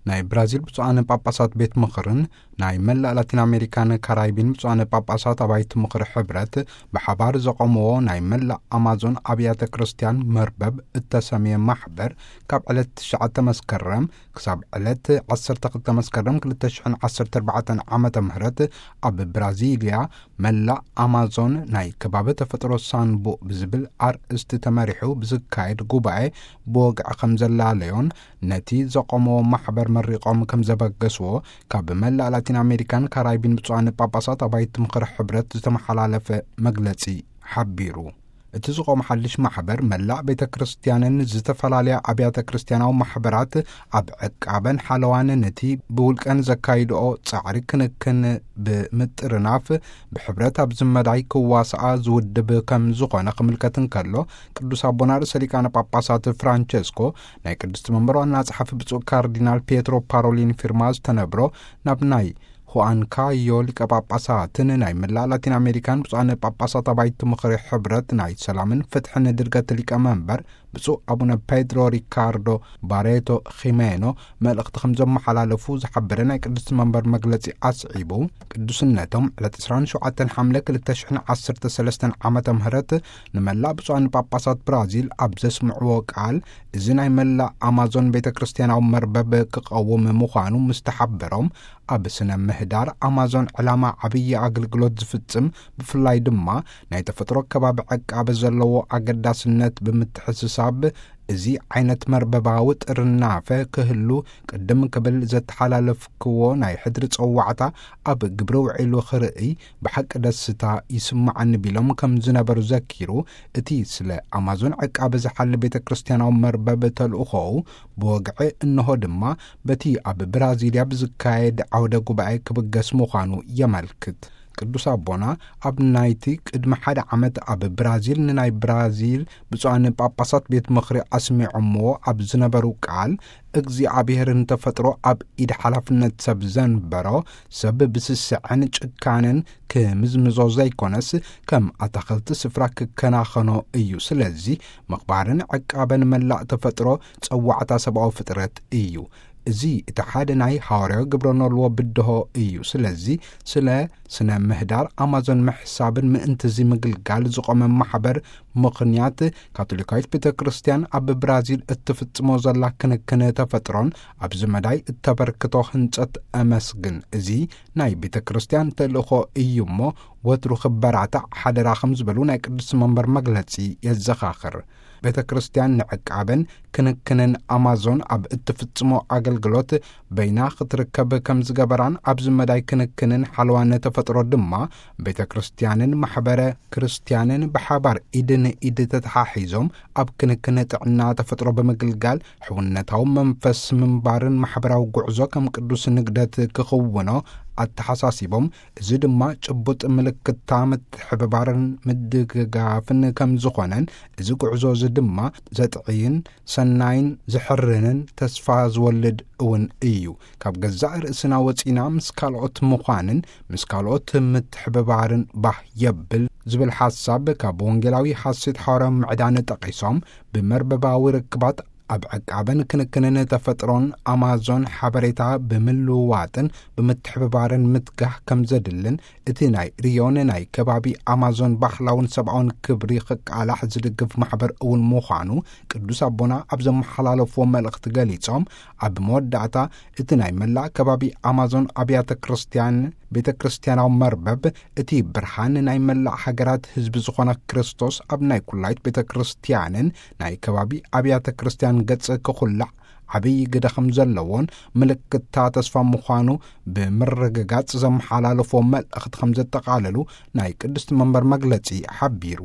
ናይ ብራዚል ብፁዓን ጳጳሳት ቤት ምኽርን ናይ መላእ ላቲን ኣሜሪካን ካራይቢን ብፁዓን ጳጳሳት ኣባይቲ ምኽሪ ሕብረት ብሓባር ዘቖምዎ ናይ መላእ ኣማዞን ኣብያተ ክርስቲያን መርበብ እተሰምየ ማሕበር፣ ካብ ዕለት ትሽዓተ መስከረም ክሳብ ዕለት ዓሰርተ ክልተ መስከረም ክልተ ሽሕን ዓሰርተ ኣርባዕተን ዓመተ ምህረት ኣብ ብራዚልያ መላእ ኣማዞን ናይ ከባቢ ተፈጥሮ ሳንቡእ ብዝብል ኣርእስቲ ተመሪሑ ብዝካየድ ጉባኤ ብወግዒ ከም ዘላለዮን፣ ነቲ ዘቆመዎ ማሕበር መሪቖም ከም ዘበገስዎ ካብ መላእ ላቲን ኣሜሪካን ካራይቢን ብፁዓን ጳጳሳት ኣባይቲ ምኽሪ ሕብረት ዝተመሓላለፈ መግለጺ ሓቢሩ። እቲ ዝቆመ ሓድሽ ማሕበር መላእ ቤተ ክርስቲያንን ዝተፈላለያ ኣብያተ ክርስቲያናዊ ማሕበራት ኣብ ዕቃበን ሓለዋን ነቲ ብውልቀን ዘካይድኦ ጻዕሪ ክንክን ብምጥርናፍ ብሕብረት ኣብ ዝመዳይ ክዋስኣ ዝውድብ ከም ዝኾነ ክምልከት እንከሎ፣ ቅዱስ ኣቦና ርእሰ ሊቃነ ጳጳሳት ፍራንቸስኮ ናይ ቅድስቲ መንበር ዋና ጸሓፊ ብፁዕ ካርዲናል ፒየትሮ ፓሮሊን ፊርማ ዝተነብሮ ናብ ናይ ሁኣንካዮ ሊቀ ጳጳሳትን ናይ መላእ ላቲን ኣሜሪካን ብፁዓን ጳጳሳት ኣባይቲ ምኽሪ ሕብረት ናይ ሰላምን ፍትሕን ድርገት ሊቀ መንበር ብፁዕ ኣቡነ ፔድሮ ሪካርዶ ባሬቶ ኺሜኖ መልእኽቲ ከም ዘመሓላለፉ ዝሓበረ ናይ ቅድስቲ መንበር መግለጺ ኣስዒቡ፣ ቅዱስነቶም ዕለት ዕስራን ሸውዓተን ሓምለ ክልተ ሽሕን ዓሰርተ ሰለስተን ዓመተ ምህረት ንመላእ ብፁዓን ጳጳሳት ብራዚል ኣብ ዘስምዕዎ ቃል፣ እዚ ናይ መላእ ኣማዞን ቤተ ክርስቲያናዊ መርበብ ክቐውም ምዃኑ ምስ ተሓበሮም፣ ኣብ ስነ ምህዳር ኣማዞን ዕላማ ዓብዪ ኣገልግሎት ዝፍጽም፣ ብፍላይ ድማ ናይ ተፈጥሮ ከባቢ ዕቃበ ዘለዎ ኣገዳስነት ብምትሕስሳብ፣ እዚ ዓይነት መርበባዊ ጥርናፈ ክህሉ ቅድም ክብል ዘተሓላለፍክዎ ናይ ሕድሪ ጸዋዕታ ኣብ ግብሪ ውዒሉ ክርእይ ብሓቂ ደስታ ይስምዓኒ ቢሎም ከም ዝነበሩ ዘኪሩ፣ እቲ ስለ ኣማዞን ዕቃበ ዝሓሊ ቤተ ክርስቲያናዊ መርበብ ተልእኾኡ ብወግዒ እንሆ ድማ በቲ ኣብ ብራዚልያ ብዝካየድ ዓውደ ጉባኤ ክብገስ ምዃኑ የመልክት። ቅዱስ ኣቦና ኣብ ናይቲ ቅድሚ ሓደ ዓመት ኣብ ብራዚል ንናይ ብራዚል ብፁዓን ጳጳሳት ቤት ምኽሪ ኣስሚዖምዎ ኣብ ዝነበሩ ቃል፣ እግዚኣብሔር ንተፈጥሮ ኣብ ኢድ ሓላፍነት ሰብ ዘንበሮ፣ ሰብ ብስስዐን ጭካንን ክምዝምዞ ዘይኮነስ፣ ከም ኣታኽልቲ ስፍራ ክከናኸኖ እዩ። ስለዚ ምኽባርን ዕቃበን መላእ ተፈጥሮ ጸዋዕታ ሰብኣዊ ፍጥረት እዩ። እዚ እቲ ሓደ ናይ ሃዋርያዊ ግብረ ኖልዎ ብድሆ እዩ። ስለዚ ስለ ስነ ምህዳር ኣማዞን ምሕሳብን ምእንትዚ ምግልጋል ዝቖመ ማሕበር ምኽንያት ካቶሊካዊት ቤተ ክርስቲያን ኣብ ብራዚል እትፍጽሞ ዘላ ክንክን ተፈጥሮን ኣብዚ መዳይ እተበርክቶ ህንጸት እመስግን። እዚ ናይ ቤተ ክርስቲያን ተልእኾ እዩ እሞ ወትሩ ክበራታዕ ሓደራ ከም ዝበሉ ናይ ቅዱስ መንበር መግለጺ የዘኻኽር። ቤተ ክርስቲያን ንዕቃበን ክንክንን ኣማዞን ኣብ እትፍጽሞ ኣገልግሎት በይና ክትርከብ ከም ዝገበራን ኣብዚ መዳይ ክንክንን ሓለዋን ተፈጥሮ ድማ ቤተ ክርስቲያንን ማሕበረ ክርስቲያንን ብሓባር ኢድ ንኢድ ተተሓሒዞም ኣብ ክንክን ጥዕና ተፈጥሮ ብምግልጋል ሕውነታዊ መንፈስ ምንባርን ማሕበራዊ ጉዕዞ ከም ቅዱስ ንግደት ክኽውኖ ኣተሓሳሲቦም፣ እዚ ድማ ጭቡጥ ምልክታ ምትሕብባርን ምድግጋፍን ከም ዝኾነን፣ እዚ ጉዕዞ እዚ ድማ ዘጥዕይን ሰናይን ዝሕርንን ተስፋ ዝወልድ እውን እዩ። ካብ ገዛእ ርእስና ወጺና ምስ ካልኦት ምዃንን ምስ ካልኦት ምትሕብባርን ባህ የብል ዝብል ሓሳብ ካብ ወንጌላዊ ሐሴት ሓዋርያዊ ምዕዳን ጠቒሶም፣ ብመርበባዊ ርክባት ኣብ ዕቃበን ክንክንን ተፈጥሮን ኣማዞን ሓበሬታ ብምልውዋጥን ብምትሕብባርን ምትጋህ ከም ዘድልን፣ እቲ ናይ ሪዮን ናይ ከባቢ ኣማዞን ባህላውን ሰብኣውን ክብሪ ክቃላሕ ዝድግፍ ማሕበር እውን ምዃኑ ቅዱስ ኣቦና ኣብ ዘመሓላለፍዎ መልእኽቲ ገሊጾም፣ ኣብ መወዳእታ እቲ ናይ መላእ ከባቢ ኣማዞን ኣብያተ ክርስቲያን ቤተ ክርስቲያናዊ መርበብ፣ እቲ ብርሃን ናይ መላእ ሃገራት ህዝቢ ዝኾነ ክርስቶስ ኣብ ናይ ኩላይት ቤተ ክርስቲያንን ናይ ከባቢ ኣብያተ ክርስቲያን ገጽ ክኹላዕ ዓብዪ ግደ ከም ዘለዎን ምልክታ ተስፋ ምዃኑ ብምርግጋጽ ዘመሓላለፍዎ መልእኽቲ ከም ዘጠቓለሉ ናይ ቅድስቲ መንበር መግለጺ ሓቢሩ።